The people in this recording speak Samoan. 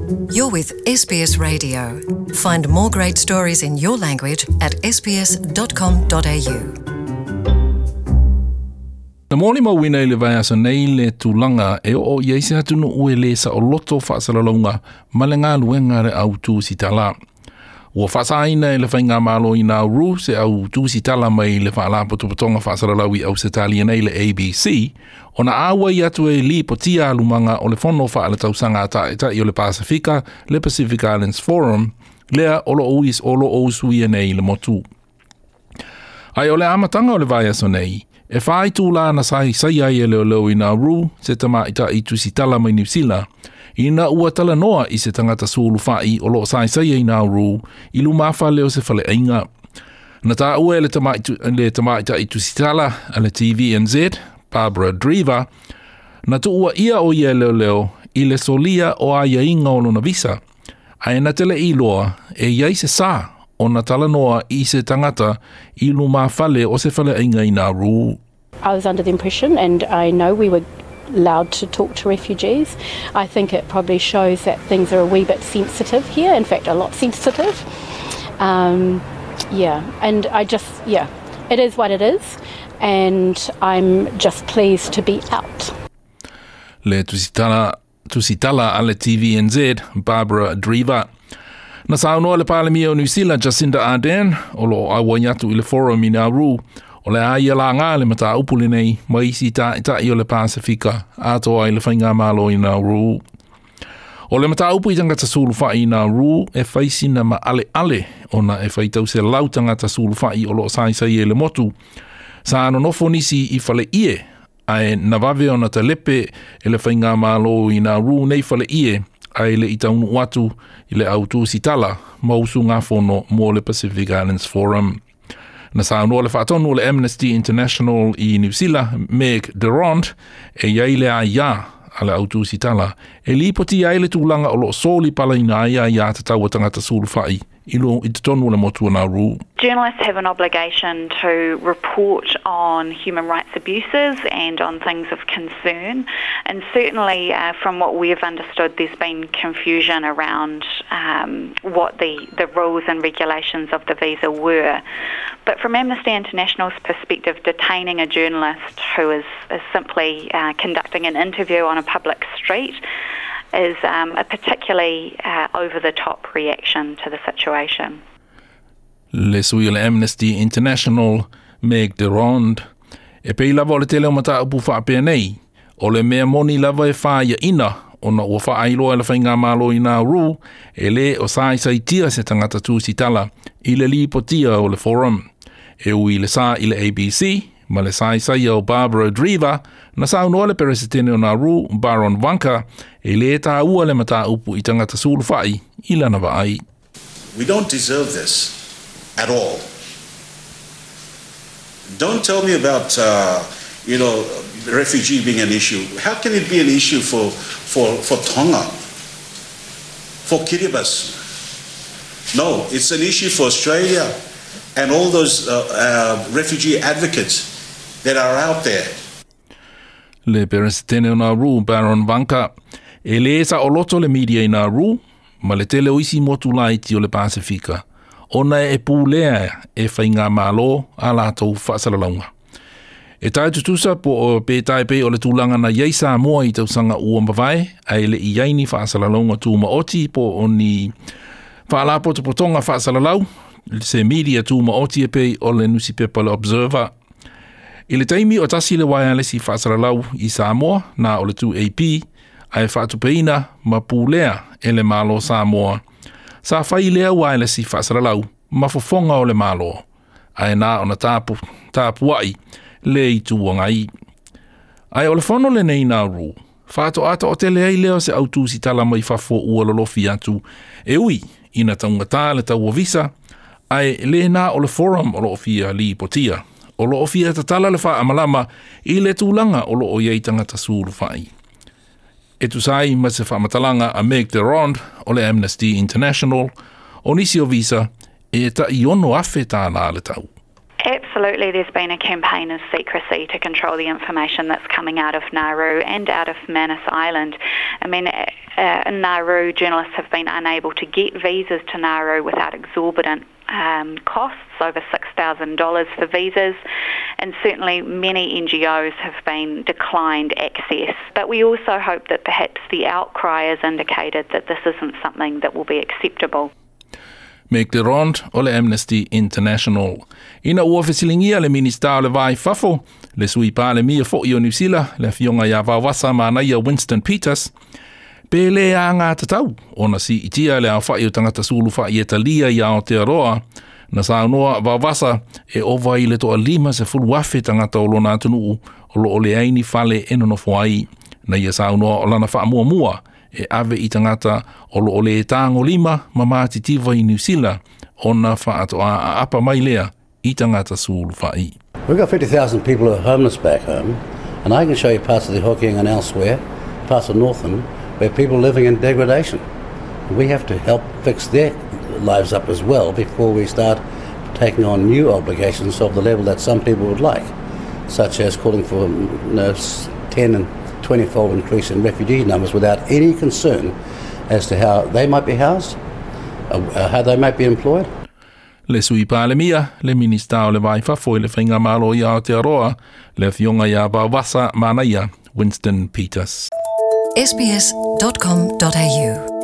You're with SBS Radio. Find more great stories in your language at sbs.com.au. Na molimauina i le vaiaso nei le tulaga e oo i ai se atunuu e lē saoloto faasalalauga ma le galuega a le au tusitala. Ua faasāina e le Faigamalo i Nauru se au tusitala mai le Faalapotopotoga Faasalalau i Ausetalia nei le ABC, ona auai atu e lipotia alumaga o le Fono Faaletausaga a Taitai o le Pasefika, le Pacific Islands Forum, lea o lo o usuia nei le motu. Ae o le amataga o le vaiaso nei, e 4 itulā na saisai ai e leoleo i Nauru se tamaitai tusitala mai Niu Sila, ina ua talanoa i se tagata sulufai o lo o saisaia i Nauru i lumafale o se faleaiga. Na taua e le tamaitai tusitala a le TVNZ, Barbara Dreaver, na tuuaia o ia e leoleo i le solia o aiaiga o lona visa, ae na te le i iloa e i ai se sā ona talanoa i se tagata i lumafale o se faleaiga i Nauru. I was under the impression, and I know we were allowed to talk to refugees. I think it probably shows that things are a wee bit sensitive here, in fact, a lot sensitive. Yeah, and I just, yeah, it is what it is, and I'm just pleased to be out. Le tusitala a le TVNZ, Barbara Dreaver. Na saunoa le Palemia o Niu Sila, Jacinda Ardern, o lo o auai atu i le Forum i Nauru, o le a ia laga le mataupu lenei ma isi taitai o le Pasefika atoa ai le Faigamalo i Nauru. O le mataupu i tagata sulufai i Nauru e fai sina maaleale ona e faitau selau tagata sulufai o lo o saisai e le motu. Sa nonofo nisi i faleie ae na vave ona talepe e le Faigamalo i Nauru nei faleie ae le i taunuu atu i le au tusitala ma usugafono mo le Pacific Islands Forum. Na saunoa le faatonu o le Amnesty International i Niu Sila, Meg de Rond, e i ai le aia a le au tusitala e lipotia ai le tulaga o lo o solipalaina ai aiatatau a tagata sulufai i lo i totonu o le motu o Nauru. Journalists have an obligation to report on human rights abuses and on things of concern. And certainly, from what we've understood, there's been confusion around what the rules and regulations of the visa were. But from Amnesty International's perspective, detaining a journalist who is simply conducting an interview on a public street is a particularly over the top reaction to the situation. Le sui o le Amnesty International, Meg de Rond. E pei lava o le tele o mataupu faapea nei, o le mea moni lava e fāiaina ona ua faailoa e le Faigamalo i Nauru e lē o saisaitia se tagata tusitala i le lipotia o le forum. E ui i le sā i le ABC, ma le saisaia o Barbara Dreaver, na saunoa le Peresetene o Nauru, Baron Waqa, e lē taua le mataupu i tagata sulufai i lana vaai. We don't deserve this at all. Don't tell me about refugee being an issue. How can it be an issue for Tonga, for Kiribati? No, it's an issue for Australia and all those refugee advocates that are out there. Le Peresetene o Nauru, Baron Waqa. E lē saoloto le media i Nauru, ma le tele o isi motu laiti o le Pasifika, ona e pulea e faigamalo a latou faasalalauga. E tai tutusa po o pe tai pe o le tulaga na i ai Samoa i tausaga ua mavae, ae le i ai ni faasalalauga tumaoti po o ni faalapotopotoga faasalalau, se media tumaoti e pei o le nusipepa le Observer. I le taimi o tasi le waialesi faasalalau i Samoa, na o le 2AP, ae faatupeina ma pulea e le Malo Samoa. Sa fai lea waelesi faasalalau ma fofoga o le Malo, ae na ona tapuai le Itu Agai. Ae o le fono lenei Nauru, faatoa taotele ai lea o se au tusitala mai fafo ua lolofi atu, e ui ina taugata le tau o visa, ae lē na o le forum o lo o fia lipotia. O lo o fia tatala le faamalama i le tulaga o lo o i ai tagata sulufai. E tusa ai ma se faamatalaga a Meg de Rond o le Amnesty International, o nisi o visa e tai 6,000 tālā le tau. Absolutely. Absolutely, there's been a campaign of secrecy to control the information that's coming out of Nauru and out of Manus Island. I mean, in Nauru, journalists have been unable to get visas to Nauru without exorbitant costs, over $6,000 for visas, and certainly many NGOs have been declined access. But we also hope that perhaps the outcry has indicated that this isn't something that will be acceptable. Meg de Rond o le Amnesty International. Ina ua fesiligia le Minista o le Va i Fafo, le Sui Palemia fo'i o Niu Sila, le Afioga ia Vaovasa Manaia Winston Peters, pe le agatatau ona siitia le aofa'i o tagata sulufa'i e talia i Aotearoa, na saunoa Vaovasa e ova i le 150,000 tagata o lona atunuu o lo'o leai ni fale e nonofo ai. Na ia saunoa o lana faamuamua e ave i tagata o lo'o lē tagolima ma matitiva i Niu Sila ona faatoā aapa mai lea i tagata sulufa'i. We've got 50,000 people who are homeless back home, and I can show you parts of the Hokianga and elsewhere, parts of Northland, where people are living in degradation. We have to help fix their lives up as well before we start taking on new obligations of the level that some people would like, such as calling for 10 and 20-fold increase in refugee numbers without any concern as to how they might be housed, how they might be employed. Le Sui Palemia, le Minista o le Va i Fafo i le Faigamalo i Aotearoa, le Afioga ia Vaovasa Manaia Winston Peters. sbs.com.au